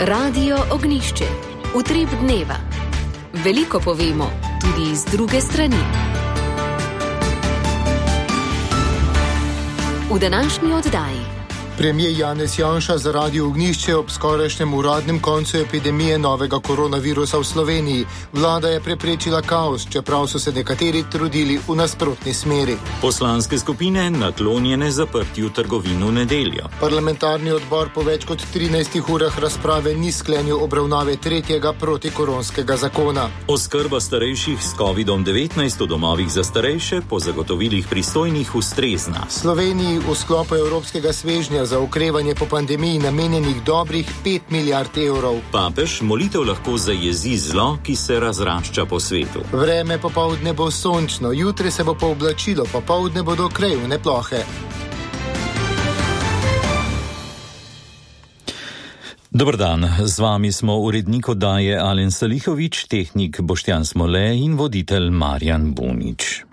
Radio Ognjišče. Utrip dneva. Veliko povemo, tudi z druge strani. V današnji oddaji. Premier Janez Janša za Radio Ognjišče ob skorajšnjem uradnem koncu epidemije novega koronavirusa v Sloveniji. Vlada je preprečila kaos, čeprav so se nekateri trudili v nasprotni smeri. Poslanske skupine naklonjene zaprtju trgovin v nedeljo. Parlamentarni odbor po več kot 13 urah razprave ni sklenil obravnave tretjega protikoronskega zakona. Oskrba starejših s COVID-19 v domovih za starejše po zagotovilih pristojnih ustrezna. Sloveniji v sklopu evropskega svežnja za okrevanje po pandemiji namenjenih dobrih 5 milijard evrov. Papež molitev lahko zajezi zlo, ki se razrašča po svetu. Vreme popoldne bo sončno, jutri se bo pooblačilo, popoldne bodo krajevne plohe. Dober dan, z vami smo urednik oddaje Alen Salihovič, tehnik Boštjan Smole in voditelj Marjan Bunič.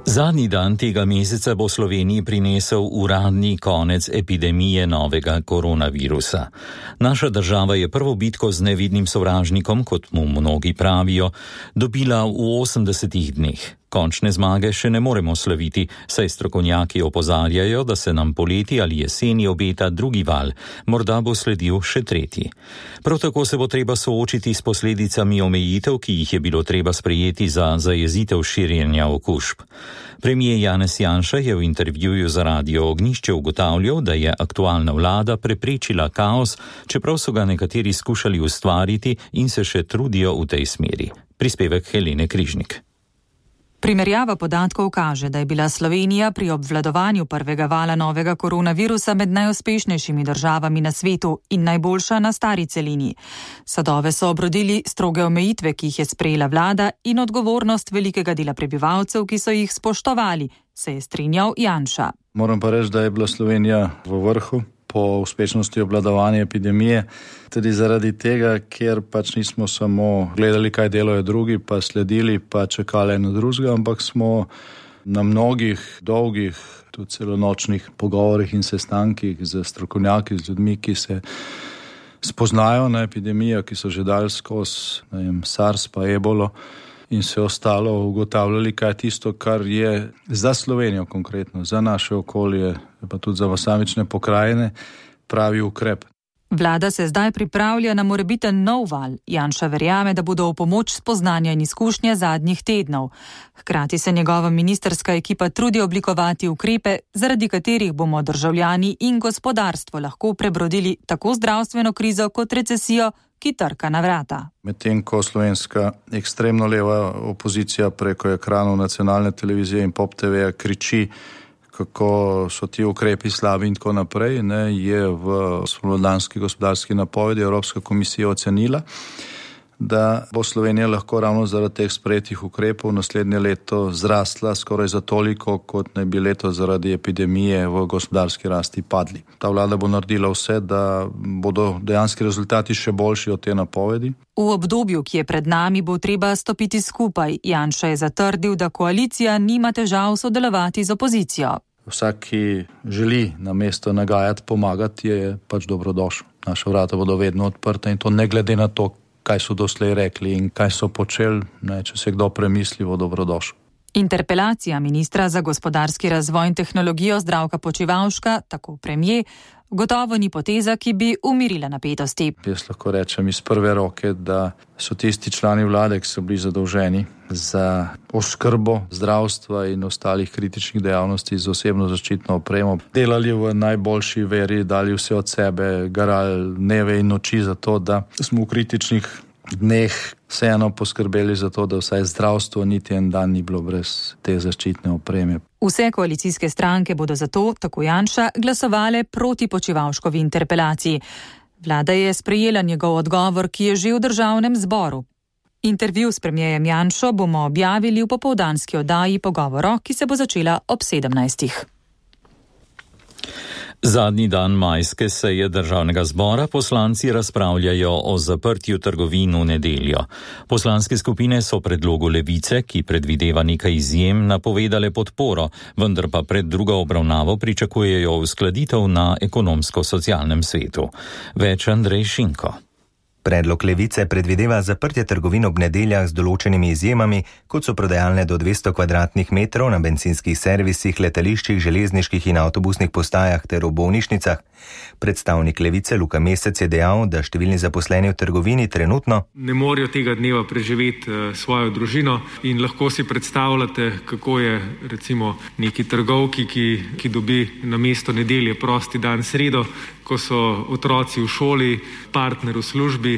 Zadnji dan tega meseca bo Sloveniji prinesel uradni konec epidemije novega koronavirusa. Naša država je prvo bitko z nevidnim sovražnikom, kot mu mnogi pravijo, dobila v 80 dneh. Končne zmage še ne moremo slaviti, saj strokovnjaki opozarjajo, da se nam poleti ali jeseni obeta drugi val, morda bo sledil še tretji. Prav tako se bo treba soočiti s posledicami omejitev, ki jih je bilo treba sprejeti za zajezitev širjenja okužb. Premier Janez Janša je v intervjuju za Radio Ognjišče ugotavljal, da je aktualna vlada preprečila kaos, čeprav so ga nekateri skušali ustvariti in se še trudijo v tej smeri. Prispevek Helene Križnik. Primerjava podatkov kaže, da je bila Slovenija pri obvladovanju prvega vala novega koronavirusa med najuspešnejšimi državami na svetu in najboljša na stari celini. Sadove so obrodili stroge omejitve, ki jih je sprejela vlada, in odgovornost velikega dela prebivalcev, ki so jih spoštovali, se je strinjal Janša. Moram pa reči, da je bila Slovenija v vrhu po uspešnosti obvladovanja epidemije, tudi zaradi tega, ker pač nismo samo gledali, kaj delajo drugi, pa sledili, pa čakali eno drugega, ampak smo na mnogih dolgih, tudi celonočnih pogovorih in sestankih z strokovnjaki, z ljudmi, ki se spoznajo na epidemijo, ki so že dali skozi SARS pa ebolo in se ostalo ugotavljali, kaj je tisto, kar je za Slovenijo konkretno, za naše okolje, pa tudi za posamične pokrajine, pravi ukrep. Vlada se zdaj pripravlja na morebiten nov val. Janša verjame, da bodo v pomoč spoznanja in izkušnje zadnjih tednov. Hkrati se njegova ministrska ekipa trudi oblikovati ukrepe, zaradi katerih bomo državljani in gospodarstvo lahko prebrodili tako zdravstveno krizo kot recesijo, ki trka na vrata. Medtem ko slovenska ekstremno leva opozicija preko ekranov nacionalne televizije in Pop TV kriči, kako so ti ukrepi slabi in tako naprej, je v spomladanski gospodarski napovedi Evropska komisija ocenila, da bo Slovenija lahko ravno zaradi teh sprejetih ukrepov naslednje leto zrastla skoraj za toliko, kot naj bi leto zaradi epidemije v gospodarski rasti padli. Ta vlada bo naredila vse, da bodo dejanski rezultati še boljši od te napovedi. V obdobju, ki je pred nami, bo treba stopiti skupaj. Janša je zatrdil, da koalicija nima težav sodelovati z opozicijo. Vsak, ki želi na mesto nagajati, pomagati, je pač dobrodošel. Naša vrata bodo vedno odprta in to ne glede na to, kaj so doslej rekli in kaj so počeli, če se kdo premisli, bo dobrodošel. Interpelacija ministra za gospodarski razvoj in tehnologijo Zdravka Počivalška, tako premier, gotovo ni poteza, ki bi umirila napetosti. Jaz lahko rečem iz prve roke, da so tisti člani vlade, ki so bili zadolženi za oskrbo zdravstva in ostalih kritičnih dejavnosti z osebno zaščitno opremo, delali v najboljši veri, dali vse od sebe, garali dneve in noči za to, da smo v kritičnih dneh vseeno poskrbeli za to, da vsaj zdravstvo niti en dan ni bilo brez te zaščitne opreme. Vse koalicijske stranke bodo zato, tako Janša, glasovale proti Počivalškovi interpelaciji. Vlada je sprejela njegov odgovor, ki je že v državnem zboru. Intervju s premierjem Janšo bomo objavili v popoldanski oddaji Pogovoro, ki se bo začela ob 17. Zadnji dan majske seje državnega zbora poslanci razpravljajo o zaprtju trgovin v nedeljo. Poslanske skupine so predlogu Levice, ki predvideva nekaj izjem, napovedale podporo, vendar pa pred drugo obravnavo pričakujejo uskladitev na ekonomsko-socialnem svetu. Več Andrej Šinko. Predlog Levice predvideva zaprtje trgovin ob nedeljah z določenimi izjemami, kot so prodajalne do 200 kvadratnih metrov na bencinskih servisih, letališčih, železniških in avtobusnih postajah ter v bolnišnicah. Predstavnik Levice Luka Mesec je dejal, da številni zaposleni v trgovini trenutno ne morejo tega dneva preživeti svojo družino in lahko si predstavljate, kako je recimo neki trgovki, ki dobi na mesto nedelje prosti dan sredo, ko so otroci v šoli, partner v službi.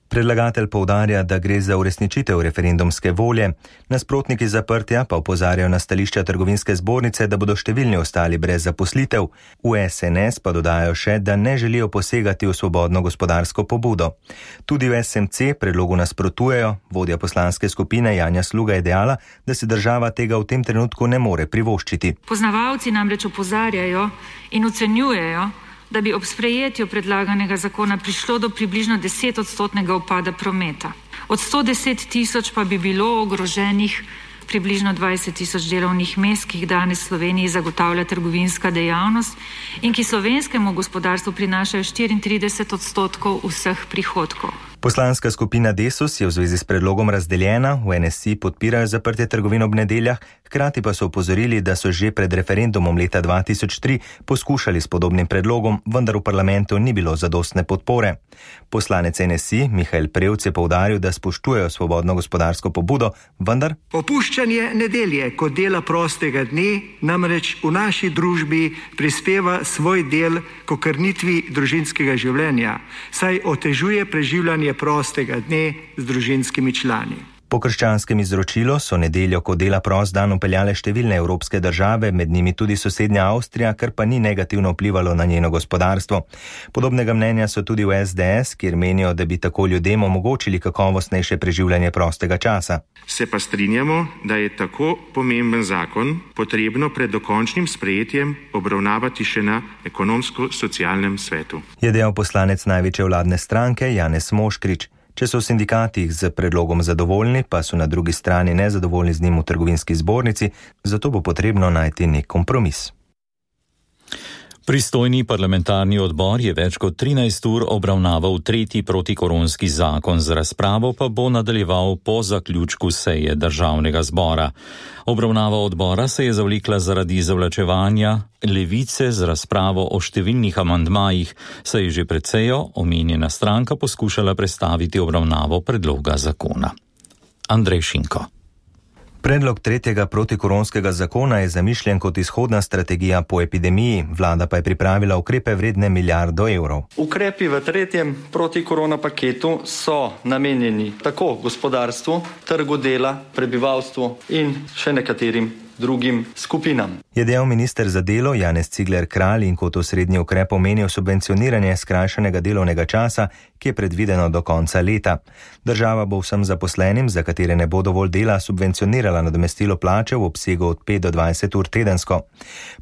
Predlagatelj poudarja, da gre za uresničitev referendumske volje. Nasprotniki zaprtja pa opozarjajo na stališča trgovinske zbornice, da bodo številni ostali brez zaposlitev. V SNS pa dodajajo še, da ne želijo posegati v svobodno gospodarsko pobudo. Tudi v SMC predlogu nasprotujejo. Vodja poslanske skupine Janja Sluga je dejala, da si država tega v tem trenutku ne more privoščiti. Poznavalci namreč opozarjajo in ocenjujejo, da bi ob sprejetju predlaganega zakona prišlo do približno 10% upada prometa. Od 110 tisoč pa bi bilo ogroženih približno 20 tisoč delovnih mest, ki jih danes v Sloveniji zagotavlja trgovinska dejavnost in ki slovenskemu gospodarstvu prinašajo 34% vseh prihodkov. Poslanska skupina Desus je v zvezi s predlogom razdeljena, v NSI podpirajo zaprtje trgovin ob nedeljah, hkrati pa so opozorili, da so že pred referendumom leta 2003 poskušali s podobnim predlogom, vendar v parlamentu ni bilo zadostne podpore. Poslanec NSI Mihael Prevc je poudaril, da spoštujejo svobodno gospodarsko pobudo, vendar opuščanje nedelje kot dela prostega dne namreč v naši družbi prispeva svoj del k okrnitvi družinskega življenja, saj otežuje preživljanje prostega dne z družinskimi člani. Po krščanskem izročilu so nedeljo kot dela prost dan upeljale številne evropske države, med njimi tudi sosednja Avstrija, kar pa ni negativno vplivalo na njeno gospodarstvo. Podobnega mnenja so tudi v SDS, kjer menijo, da bi tako ljudem omogočili kakovostnejše preživljanje prostega časa. Se pa strinjamo, da je tako pomemben zakon potrebno pred dokončnim sprejetjem obravnavati še na ekonomsko-socialnem svetu. Je dejal poslanec največje vladne stranke Janez Moškrič. Če so v sindikatih z predlogom zadovoljni, pa so na drugi strani nezadovoljni z njim v trgovinski zbornici, zato bo potrebno najti nek kompromis. Pristojni parlamentarni odbor je več kot 13 ur obravnaval tretji protikoronski zakon, z razpravo pa bo nadaljeval po zaključku seje državnega zbora. Obravnava odbora se je zavlekla zaradi zavlačevanja Levice z razpravo o številnih amandmajih, saj je že pred sejo omenjena stranka poskušala prestaviti obravnavo predloga zakona. Andrej Šinko. Predlog tretjega protikoronskega zakona je zamišljen kot izhodna strategija po epidemiji, vlada pa je pripravila ukrepe vredne milijardo evrov. Ukrepi v tretjem protikorona paketu so namenjeni tako gospodarstvu, trgu dela, prebivalstvu in še nekaterim drugim skupinam. Je dejal minister za delo Janez Cigler Kralj in kot osrednji ukrep omenil subvencioniranje skrajšanega delovnega časa, ki je predvideno do konca leta. Država bo vsem zaposlenim, za katere ne bo dovolj dela, subvencionirala nadomestilo plače v obsegu od 5 do 20 ur tedensko.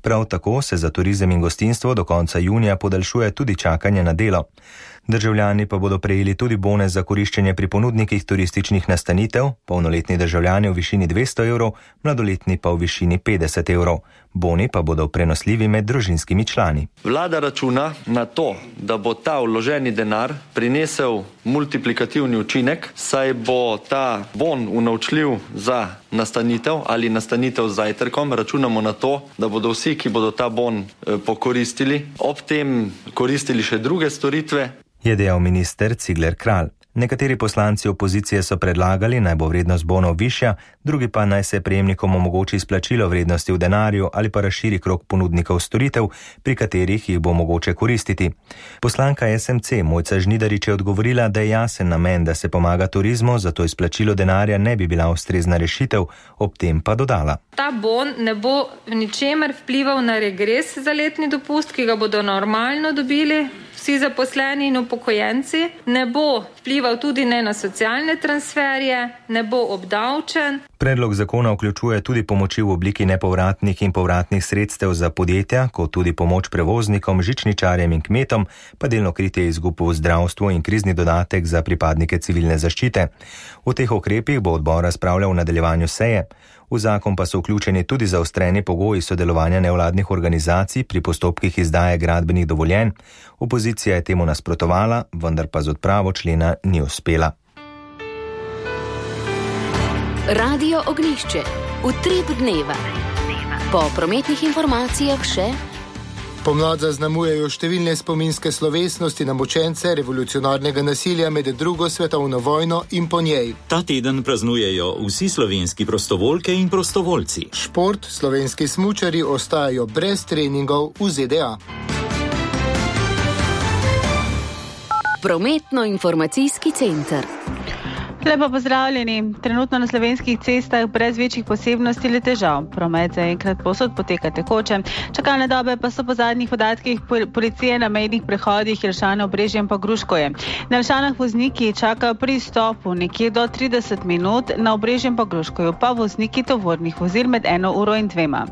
Prav tako se za turizem in gostinstvo do konca junija podaljšuje tudi čakanje na delo. Državljani pa bodo prejeli tudi bone za koriščenje pri ponudnikih turističnih nastanitev, polnoletni državljani v višini 200 evrov, mladoletni pa v višini 50 evrov. Boni pa bodo prenosljivi med družinskimi člani. Vlada računa na to, da bo ta vloženi denar prinesel multiplikativni učinek, saj bo ta bon unovčljiv za nastanitev ali nastanitev z zajtrkom. Računamo na to, da bodo vsi, ki bodo ta bon pokoristili, ob tem koristili še druge storitve. Je dejal minister Cigler Kralj. Nekateri poslanci opozicije so predlagali, naj bo vrednost bonov višja, drugi pa naj se prejemnikom omogoči izplačilo vrednosti v denarju ali pa razširi krog ponudnikov storitev, pri katerih jih bo mogoče koristiti. Poslanka SMC Mojca Žnidarič je odgovorila, da je jasen namen, da se pomaga turizmu, zato izplačilo denarja ne bi bila ustrezna rešitev, ob tem pa dodala. Ta bon ne bo v ničemer vplival na regres za letni dopust, ki ga bodo normalno dobili vsi zaposleni in upokojenci, ne bo vplival tudi ne na socialne transferje, ne bo obdavčen. Predlog zakona vključuje tudi pomoči v obliki nepovratnih in povratnih sredstev za podjetja, kot tudi pomoč prevoznikom, žičničarjem in kmetom, pa delno kritje izgub v zdravstvu in krizni dodatek za pripadnike civilne zaščite. O teh ukrepih bo odbor razpravljal v nadaljevanju seje. V zakon pa so vključeni tudi zaostreni pogoji sodelovanja nevladnih organizacij pri postopkih izdaje gradbenih dovoljenj. Opozicija je temu nasprotovala, vendar pa z odpravo člena ni uspela. Radio Ognjišče. Utrip dneva. Po prometnih informacijah še. Pomlad zaznamujejo številne spominske slovesnosti na mučence revolucionarnega nasilja med drugo svetovno vojno in po njej. Ta teden praznujejo vsi slovenski prostovoljke in prostovoljci. Šport, slovenski smučarji ostajajo brez treningov v ZDA. Prometno-informacijski center. Lepo pozdravljeni. Trenutno na slovenskih cestah brez večjih posebnosti ali težav. Promet zaenkrat povsod poteka tekoče. Čakalne dobe pa so po zadnjih podatkih policije na mejnih prehodih Jelšane, Obrežje in pa Gruškovje. Na Jelšanah vozniki čakajo pri stopu nekje do 30 minut, na Obrežju in pa Gruškovju pa vozniki tovornih vozil med 1 uro in 2.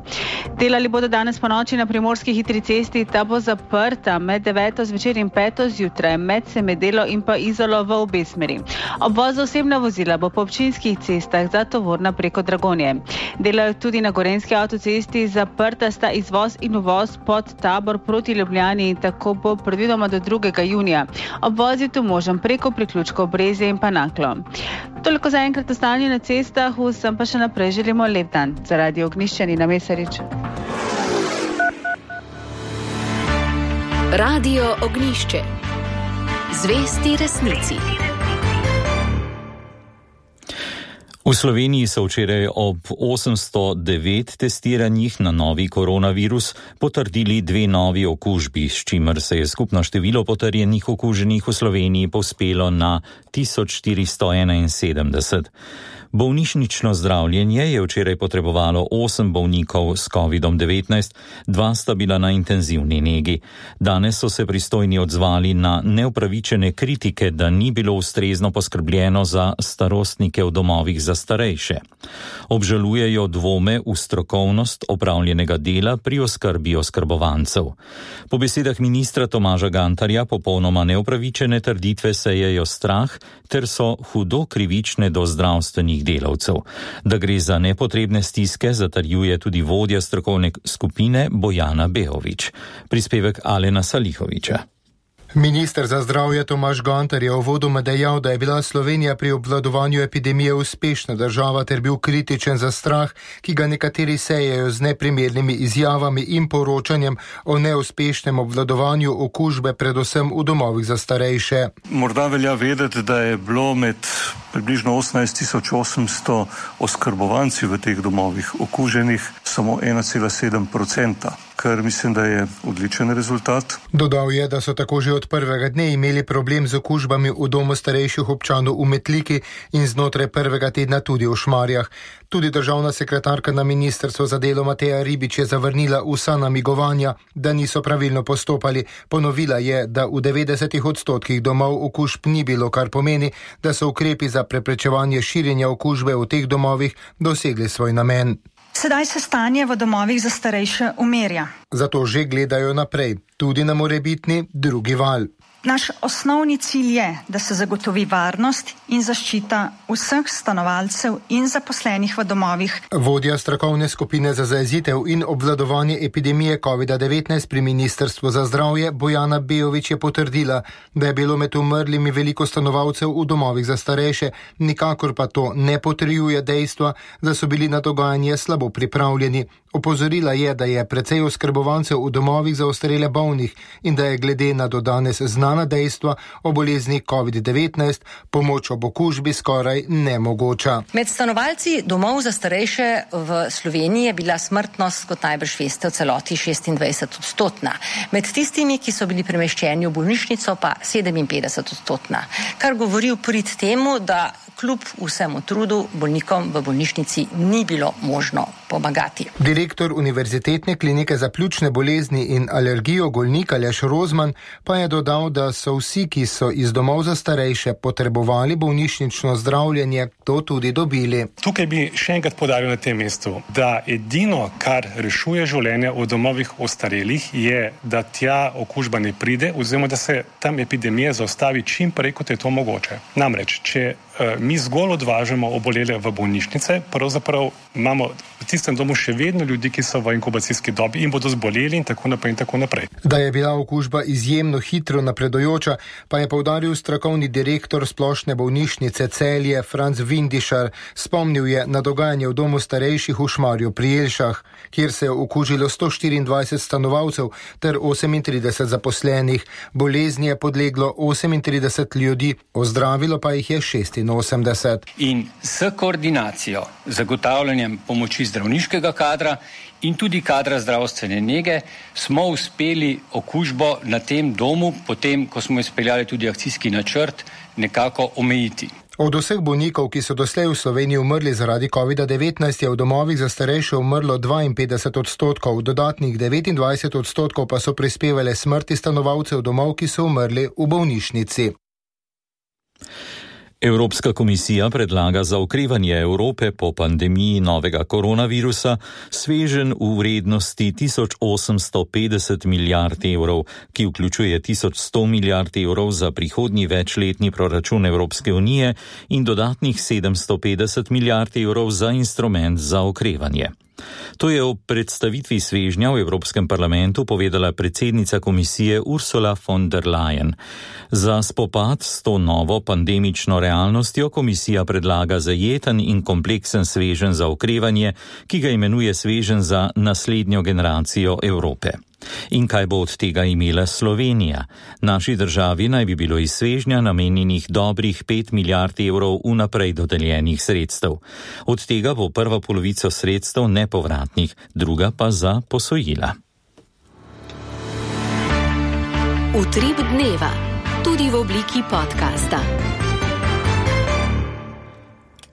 Delali bodo danes po noči na primorski hitri cesti, ta bo zaprta med 9 zvečer in 5 zjutraj, med Semedelo in pa Izolo v obe smeri. Obvoz osebna vozila bo po občinskih cestah za tovorna preko Dragonje. Delajo tudi na Gorenjski avtocesti, zaprta sta izvoz in uvoz pod Tabor proti Ljubljani in tako bo predvidoma do 2. junija. Obvoz je tu možen preko priključkov Brezje in pa Naklo. Toliko za enkrat o stanju na cestah, vsem pa še naprej želimo lep dan. Za Radio Ognjišče Nina Mesarič. Radio Ognjišče. Zvesti resnici. V Sloveniji so včeraj ob 809 testiranjih na novi koronavirus potrdili 2 novi okužbi, s čimer se je skupno število potrjenih okuženih v Sloveniji povzpelo na 1471. Bolnišnično zdravljenje je včeraj potrebovalo 8 bolnikov s COVID-19, 2 sta bila na intenzivni negi. Danes so se pristojni odzvali na neupravičene kritike, da ni bilo ustrezno poskrbljeno za starostnike v domovih za starejše. Obžalujejo dvome v strokovnost opravljenega dela pri oskrbi oskrbovancev. Po besedah ministra Tomaža Gantarja popolnoma neupravičene trditve sejejo strah ter so hudo krivične do zdravstvenih delavcev. Da gre za nepotrebne stiske, zatrjuje tudi vodja strokovne skupine Bojana Beović. Prispevek Alena Salihovića. Minister za zdravje Tomaž Gantar je uvodoma dejal, da je bila Slovenija pri obvladovanju epidemije uspešna država ter bil kritičen za strah, ki ga nekateri sejejo z neprimernimi izjavami in poročanjem o neuspešnem obvladovanju okužbe, predvsem v domovih za starejše. Morda velja vedeti, da je bilo med približno 18.800 oskrbovanci v teh domovih okuženih samo 1,7%, kar mislim, da je odličen rezultat. Dodal je, da so tako že od prvega dne imeli problem z okužbami v domu starejših občanov v Metliki in znotraj prvega tedna tudi v Šmarjah. Tudi državna sekretarka na ministrstvu za delo Mateja Ribič je zavrnila vsa namigovanja, da niso pravilno postopali. Ponovila je, da v 90% domov okužb ni bilo, kar pomeni, da so ukrepi za preprečevanje širjenja okužbe v teh domovih dosegli svoj namen. Sedaj se stanje v domovih za starejše umirja. Zato že gledajo naprej, tudi na morebitni drugi val. Naš osnovni cilj je, da se zagotovi varnost in zaščita vseh stanovalcev in zaposlenih v domovih. Vodja strokovne skupine za zajezitev in obvladovanje epidemije COVID-19 pri Ministrstvu za zdravje Bojana Beović je potrdila, da je bilo med umrlimi veliko stanovalcev v domovih za starejše, nikakor pa to ne potrjuje dejstva, da so bili na dogajanje slabo pripravljeni. Opozorila je, da je precej oskrbovancev v domovih za ostarele bolnih in da je glede na do danes znana dejstva o bolezni COVID-19 pomoč ob okužbi skoraj nemogoča. Med stanovalci domov za starejše v Sloveniji je bila smrtnost, kot najbrž veste, v celoti 26%. Med tistimi, ki so bili premeščeni v bolnišnico, pa 57%. Kar govori v prid temu, da kljub vsemu trudu bolnikom v bolnišnici ni bilo možno pomagati. Direktor Univerzitetne klinike za pljučne bolezni in alergijo Golnik Aleš Rozman pa je dodal, da so vsi, ki so iz domov za starejše potrebovali bolnišnično zdravljenje, to tudi dobili. Tukaj bi še enkrat poudaril na tem mestu, da edino, kar rešuje življenje v domovih ostarelih, je, da tja okužba ne pride, oziroma da se tam epidemija zaustavi čim prej, kot je to mogoče. Namreč, če mi zgolj odvažamo obolele v bolnišnice, pravzaprav imamo v tistem domu še vedno ljudi, ki so v inkubacijski dobi in bodo zboleli in tako naprej in tako naprej. Da je bila okužba izjemno hitro napredujoča, pa je poudaril strokovni direktor Splošne bolnišnice Celje Franc Vindišar. Spomnil je na dogajanje v domu starejših v Šmarju pri Jelšah, kjer se je okužilo 124 stanovalcev ter 38 zaposlenih. Bolezni je podleglo 38 ljudi, ozdravilo pa jih je 86. In s koordinacijo, zagotavljanjem pomoči zdravniškega kadra in tudi kadra zdravstvene nege smo uspeli okužbo na tem domu, potem ko smo izpeljali tudi akcijski načrt, nekako omejiti. Od vseh bolnikov, ki so doslej v Sloveniji umrli zaradi COVID-19, je v domovih za starejše umrlo 52%, dodatnih 29% pa so prispevale smrti stanovalcev domov, ki so umrli v bolnišnici. Evropska komisija predlaga za okrevanje Evrope po pandemiji novega koronavirusa sveženj v vrednosti 1850 milijard evrov, ki vključuje 1100 milijard evrov za prihodnji večletni proračun Evropske unije in dodatnih 750 milijard evrov za instrument za okrevanje. To je ob predstavitvi svežnja v Evropskem parlamentu povedala predsednica komisije Ursula von der Leyen. Za spopad s to novo pandemično realnostjo komisija predlaga zajeten in kompleksen sveženj za okrevanje, ki ga imenuje sveženj za naslednjo generacijo Evrope. In kaj bo od tega imela Slovenija? Naši državi naj bi bilo iz svežnja namenjenih dobrih 5 milijard evrov vnaprej dodeljenih sredstev. Od tega bo prva polovica sredstev nepovratnih, druga pa za posojila. Utrip dneva, tudi v obliki podcasta.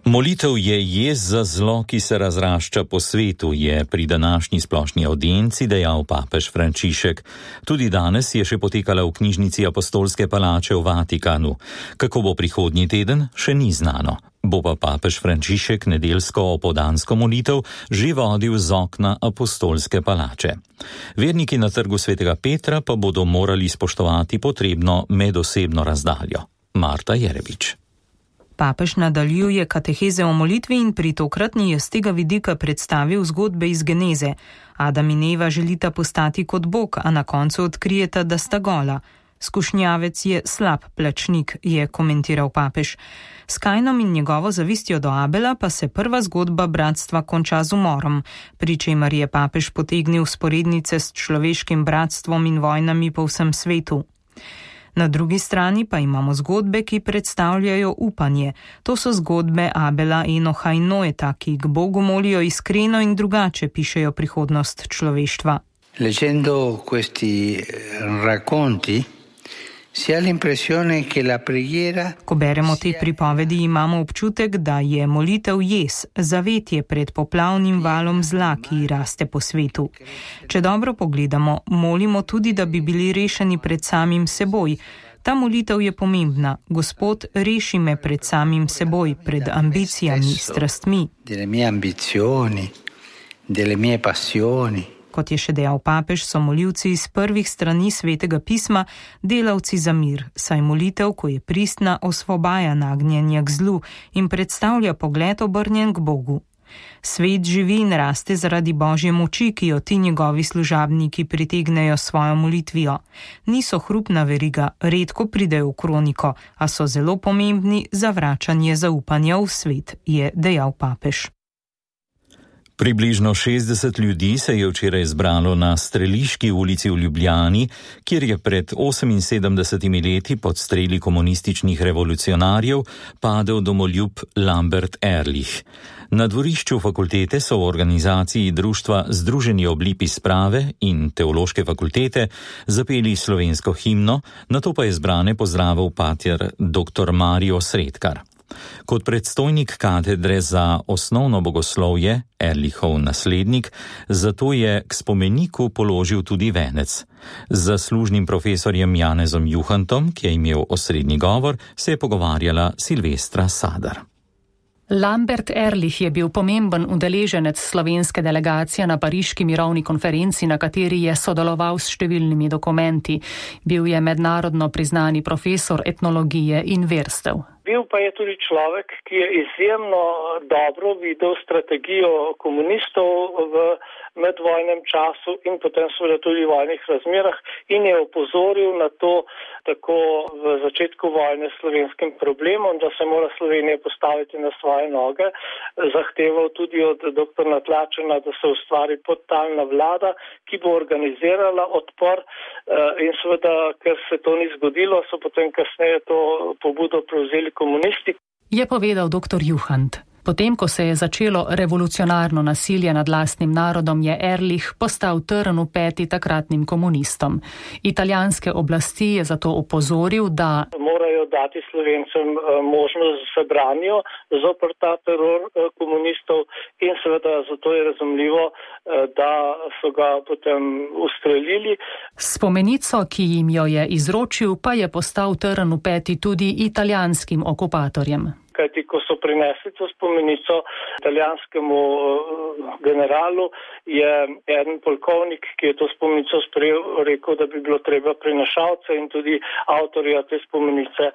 Molitev je jez za zlo, ki se razrašča po svetu, je pri današnji splošni audienci dejal papež Frančišek. Tudi danes je še potekala v knjižnici Apostolske palače v Vatikanu. Kako bo prihodnji teden, še ni znano. Bo pa papež Frančišek nedeljsko opoldansko molitev že vodil z okna Apostolske palače. Verniki na trgu svetega Petra pa bodo morali spoštovati potrebno medosebno razdaljo. Marta Jerebič. Papež nadaljuje kateheze o molitvi in pri tokratni je z tega vidika predstavil zgodbe iz Geneze. Adam in Eva želita postati kot Bog, a na koncu odkrijeta, da sta gola. Skušnjavec je slab plačnik, je komentiral papež. S Kainom in njegovo zavistjo do Abela pa se prva zgodba bratstva konča z umorom, pri čemer je papež potegnil sporednice s človeškim bratstvom in vojnami po vsem svetu. Na drugi strani pa imamo zgodbe, ki predstavljajo upanje. To so zgodbe Abela, Enoha in Noeta, ki k Bogu molijo iskreno in drugače pišejo prihodnost človeštva. Leggendo questi racconti si ha l'impressione che la preghiera. Ko beremo te pripovedi, imamo občutek, da je molitev jez, zavetje pred poplavnim valom zla, ki raste po svetu. Če dobro pogledamo, molimo tudi, da bi bili rešeni pred samim seboj. Ta molitev je pomembna. Gospod, reši me pred samim seboj, pred ambicijami, strastmi. Delle mie ambizioni, delle mie passioni. Kot je še dejal papež, so molivci iz prvih strani svetega pisma delavci za mir, saj molitev, ko je pristna, osvobaja nagnjenja k zlu in predstavlja pogled obrnjen k Bogu. Svet živi in raste zaradi Božje moči, ki jo ti njegovi služabniki pritegnejo svojo molitvijo. Niso hrupna veriga, redko pridejo v kroniko, a so zelo pomembni za vračanje zaupanja v svet, je dejal papež. Približno 60 ljudi se je včeraj zbralo na Streliški ulici v Ljubljani, kjer je pred 78 leti pod streli komunističnih revolucionarjev padel domoljub Lambert Ehrlich. Na dvorišču fakultete so v organizaciji društva Združeni oblipi sprave in Teološke fakultete zapeli slovensko himno, nato pa je zbrane pozdravil pater dr. Mario Sredkar. Kot predstojnik katedre za osnovno bogoslovje, Erlichov naslednik, zato je k spomeniku položil tudi venec. Z zaslužnim profesorjem Janezom Juhantom, ki je imel osrednji govor, se je pogovarjala Silvestra Sadar. Lambert Ehrlich je bil pomemben udeleženec slovenske delegacije na pariški mirovni konferenci, na kateri je sodeloval s številnimi dokumenti. Bil je mednarodno priznani profesor etnologije in verstev. Bil pa je tudi človek, ki je izjemno dobro videl strategijo komunistov v medvojnem času in potem seveda tudi v vojnih razmerah in je opozoril na to tako v začetku vojne s slovenskim problemom, da se mora Slovenija postaviti na svoje noge. Zahteval tudi od dr. Natlačena, da se ustvari podtalna vlada, ki bo organizirala odpor in seveda, ker se to ni zgodilo, so potem kasneje to pobudo prevzeli komunisti. Je povedal dr. Juhant. Potem, ko se je začelo revolucionarno nasilje nad lastnim narodom, je Ehrlich postal trn v peti takratnim komunistom. Italijanske oblasti je zato opozoril, da morajo dati Slovencem možnost, da se branijo zoper ta teror komunistov in seveda zato je razumljivo, da so ga potem ustrelili. Spomenico, ki jim jo je izročil, pa je postal trn v peti tudi italijanskim okupatorjem. Kajti, ko so prinesli to spomenico italijanskemu generalu, je eden polkovnik, ki je to spomenico sprejel, rekel, da bi bilo treba prinašalce in tudi avtorja te spomenice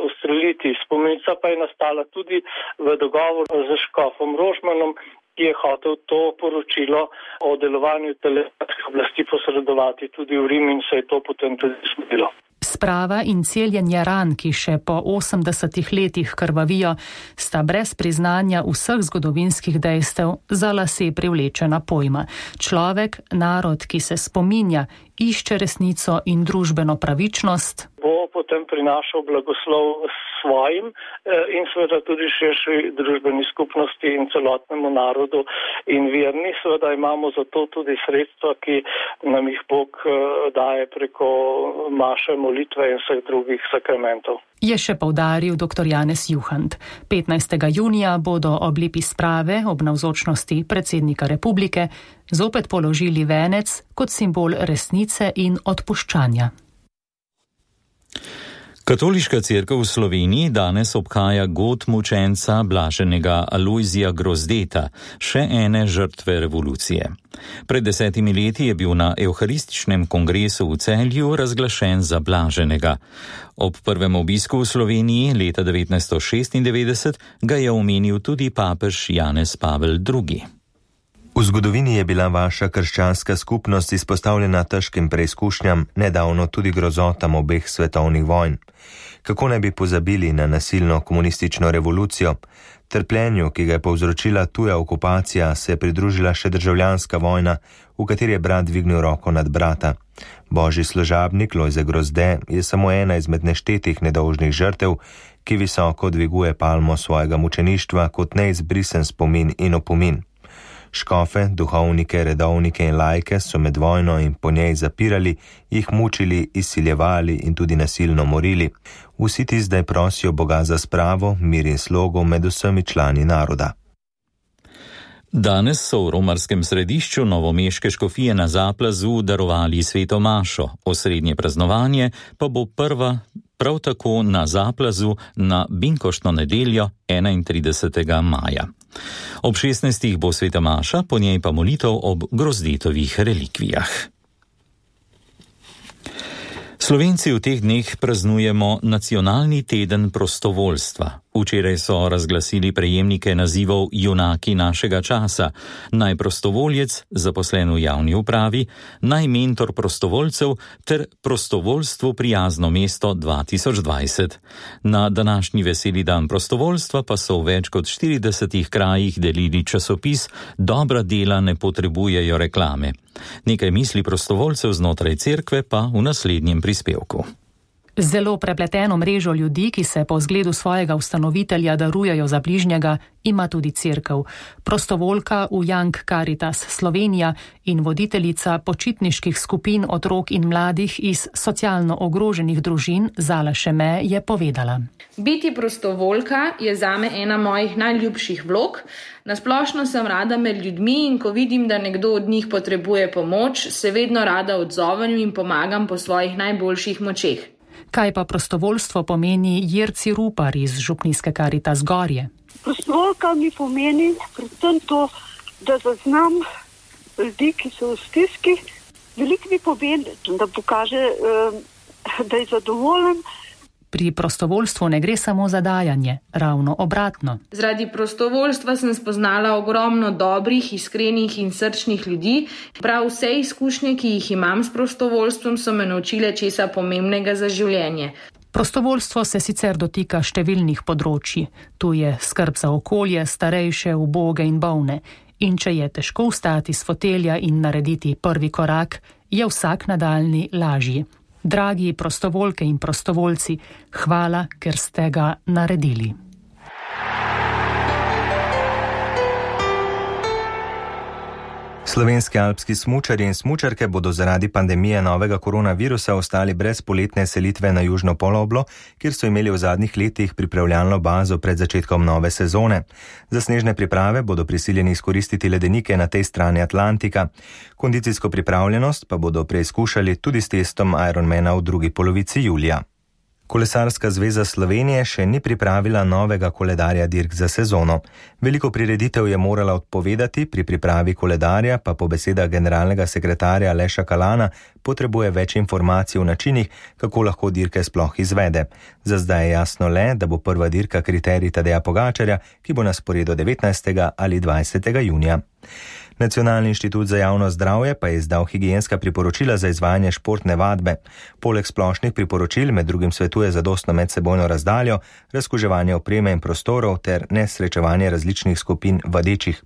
ustreliti. Spomenica pa je nastala tudi v dogovoru z škofom Rožmanom, ki je hotel to poročilo o delovanju italijanskih oblasti posredovati tudi v Rim in se je to potem tudi zgodilo. Sprava in celjenje ran, ki še po 80 letih krvavijo, sta brez priznanja vseh zgodovinskih dejstev za lase privlečena pojma. Človek, narod, ki se spominja, išče resnico in družbeno pravičnost, bo potem prinašal blagoslov svojim in seveda tudi širši družbeni skupnosti in celotnemu narodu in verni. Seveda imamo za to tudi sredstva, ki nam jih Bog daje preko maše, molitve in vseh drugih sakramentov. Je še poudaril dr. Janez Juhant. 15. junija bodo ob lipi sprave ob navzočnosti predsednika republike zopet položili venec kot simbol resnice in odpuščanja. Katoliška cerkev v Sloveniji danes obhaja god mučenca blaženega Alojzija Grozdeta, še ene žrtve revolucije. Pred 10 leti je bil na evharističnem kongresu v Celju razglašen za blaženega. Ob prvem obisku v Sloveniji leta 1996 ga je omenil tudi papež Janez Pavel II. V zgodovini je bila vaša krščanska skupnost izpostavljena težkim preizkušnjam, nedavno tudi grozotam obeh svetovnih vojn. Kako ne bi pozabili na nasilno komunistično revolucijo? Trpljenju, ki ga je povzročila tuja okupacija, se je pridružila še državljanska vojna, v kateri je brat dvignil roko nad brata. Božji služabnik Lojze Grozde je samo ena izmed neštetih nedolžnih žrtev, ki visoko dviguje palmo svojega mučeništva kot neizbrisen spomin in opomin. Škofe, duhovnike, redovnike in laike so med vojno in po njej zapirali, jih mučili, izsiljevali in tudi nasilno morili. Vsi ti zdaj prosijo Boga za spravo, mir in slogo med vsemi člani naroda. Danes so v romarskem središču novomeške škofije na Zaplazu darovali sveto mašo. Osrednje praznovanje pa bo prav tako na Zaplazu na binkoštno nedeljo 31. maja. Ob 16. bo sveta maša, po njej pa molitev ob Grozdetovih relikvijah. Slovenci v teh dneh praznujemo nacionalni teden prostovoljstva. Včeraj so razglasili prejemnike nazivov junaki našega časa, naj prostovoljec, zaposlen v javni upravi, naj mentor prostovoljcev ter prostovoljstvu prijazno mesto 2020. Na današnji veseli dan prostovoljstva pa so v več kot 40 krajih delili časopis Dobra dela ne potrebujejo reklame. Nekaj misli prostovoljcev znotraj cerkve pa v naslednjem prispevku. Zelo prepleteno mrežo ljudi, ki se po zgledu svojega ustanovitelja darujejo za bližnjega, ima tudi cerkev. Prostovoljka v Young Caritas Slovenija in voditeljica počitniških skupin otrok in mladih iz socialno ogroženih družin Zala Šeme je povedala. Biti prostovoljka je zame ena mojih najljubših vlog. Nasplošno sem rada med ljudmi in ko vidim, da nekdo od njih potrebuje pomoč, se vedno rada odzovem in pomagam po svojih najboljših močeh. Kaj pa prostovoljstvo pomeni Jerci Rupar iz župnijske Caritas Gorje? Prostovoljka mi pomeni predvsem to, da zaznam ljudi, ki so v stiski. Veliko mi pomeni, da pokaže, da je zadovoljen. Pri prostovoljstvu ne gre samo za dajanje, ravno obratno. Zaradi prostovoljstva sem spoznala ogromno dobrih, iskrenih in srčnih ljudi. Prav vse izkušnje, ki jih imam s prostovoljstvom, so me naučile česa pomembnega za življenje. Prostovoljstvo se sicer dotika številnih področji. Tu je skrb za okolje, starejše, uboge in bolne. In če je težko vstati s fotelja in narediti prvi korak, je vsak nadaljnji lažji. Dragi prostovoljke in prostovoljci, hvala, ker ste ga naredili. Slovenski alpski smučarji in smučarke bodo zaradi pandemije novega koronavirusa ostali brez poletne selitve na južno poloblo, kjer so imeli v zadnjih letih pripravljalno bazo pred začetkom nove sezone. Za snežne priprave bodo prisiljeni izkoristiti ledenike na tej strani Atlantika. Kondicijsko pripravljenost pa bodo preizkušali tudi s testom Ironmana v drugi polovici julija. Kolesarska zveza Slovenije še ni pripravila novega koledarja dirk za sezono. Veliko prireditev je morala odpovedati, pri pripravi koledarja pa po besedah generalnega sekretarja Aleša Kalana potrebuje več informacij o načinih, kako lahko dirke sploh izvede. Za zdaj je jasno le, da bo prva dirka kriterij Tadeja Pogačarja, ki bo na sporedu 19. ali 20. junija. Nacionalni inštitut za javno zdravje pa je izdal higienska priporočila za izvajanje športne vadbe. Poleg splošnih priporočil med drugim svetuje zadostno medsebojno razdaljo, razkuževanje opreme in prostorov ter nesrečevanje različnih skupin vadečih.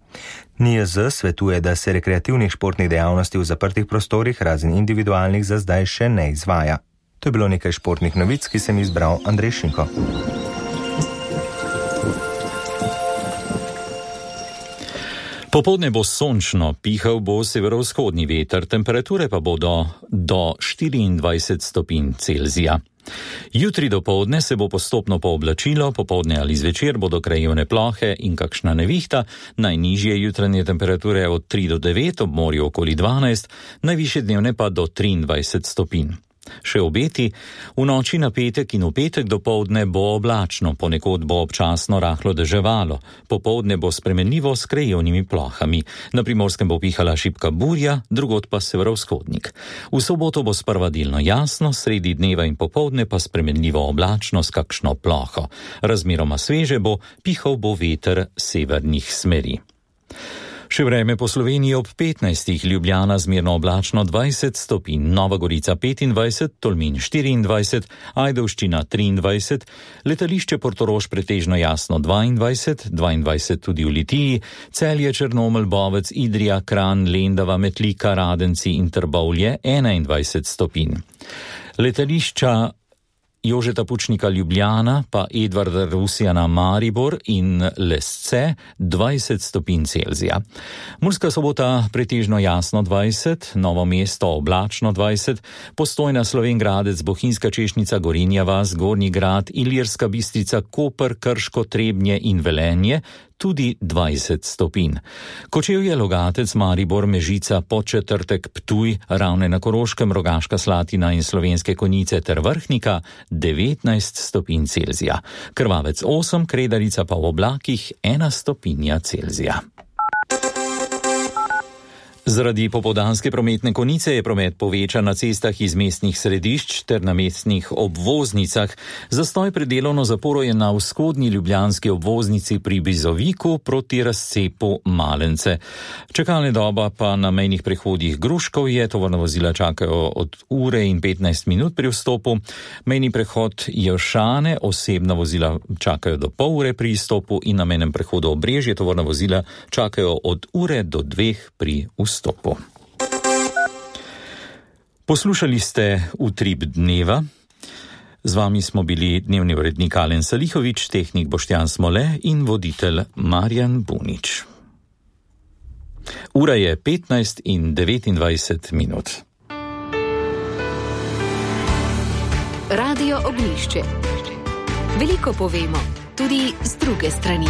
NIJZ svetuje, da se rekreativnih športnih dejavnosti v zaprtih prostorih razen individualnih za zdaj še ne izvaja. To je bilo nekaj športnih novic, ki sem izbral Andrej Šinko. Popoldne bo sončno, pihal bo severovzhodni veter, temperature pa bodo do 24 stopinj Celzija. Jutri dopoldne se bo postopno pooblačilo, popoldne ali zvečer bodo krajevne plohe in kakšna nevihta, najnižje jutranje temperature od 3 do 9, ob morju okoli 12, najvišje dnevne pa do 23 stopinj. Še obeti, v noči na petek in v petek dopoldne bo oblačno, ponekod bo občasno rahlo deževalo, popoldne bo spremenljivo s krajevnimi plohami. Na Primorskem bo pihala šibka burja, drugod pa severovzhodnik. V soboto bo sprva delno jasno, sredi dneva in popoldne pa spremenljivo oblačno s kakšno ploho. Razmeroma sveže bo, pihal bo veter severnih smeri. Še vreme po Sloveniji ob 15, Ljubljana zmerno oblačno 20 stopinj, Nova Gorica 25, Tolmin 24, Ajdovščina 23, letališče Portorož pretežno jasno 22, 22 tudi v Litiji, Celje, Črnomelj, Bovec, Idrija, Kranj, Lendava, Metlika, Radenci in Trbovlje 21 stopinj. Letališča Jožeta Pučnika Ljubljana, pa Edvarda Rusjana Maribor in Lesce 20 stopinj Celzija. Murska Sobota pretežno jasno 20, Novo mesto oblačno 20, Postojna, Slovenj Gradec, Bohinjska Češnica, Gorenja vas, Gornji Grad, Ilirska Bistrica, Koper, Krško, Trebnje in Velenje tudi 20 stopinj. Kočevje, Logatec, Maribor, Mežica, Podčetrtek, Ptuj, Ravne na Koroškem, Rogaška Slatina in Slovenske Konjice ter Vrhnika 19 stopinj Celzija. Krvavec 8, Kredarica pa v oblakih 1 stopinja Celzija. Zaradi popoldanske prometne konice je promet povečan na cestah iz mestnih središč ter na mestnih obvoznicah. Zastoj pred delovno zaporo je na vzhodni ljubljanski obvoznici pri Bizoviku proti razcepu Malence. Čakalna doba pa na mejnih prehodih Gruškovje, tovorna vozila čakajo od ure in 15 minut pri vstopu. Mejni prehod Jelšane, osebna vozila čakajo do pol ure pri izstopu in na mejnem prehodu Obrežje, tovorna vozila čakajo od ure do 2 pri vstopu. Poslušali ste Utrip dneva. Z vami smo bili dnevni urednik Alen Salihovič, tehnik Boštjan Smole in voditelj Marjan Bunič. Ura je 15:29. Radio Ognjišče. Veliko povemo, tudi z druge strani.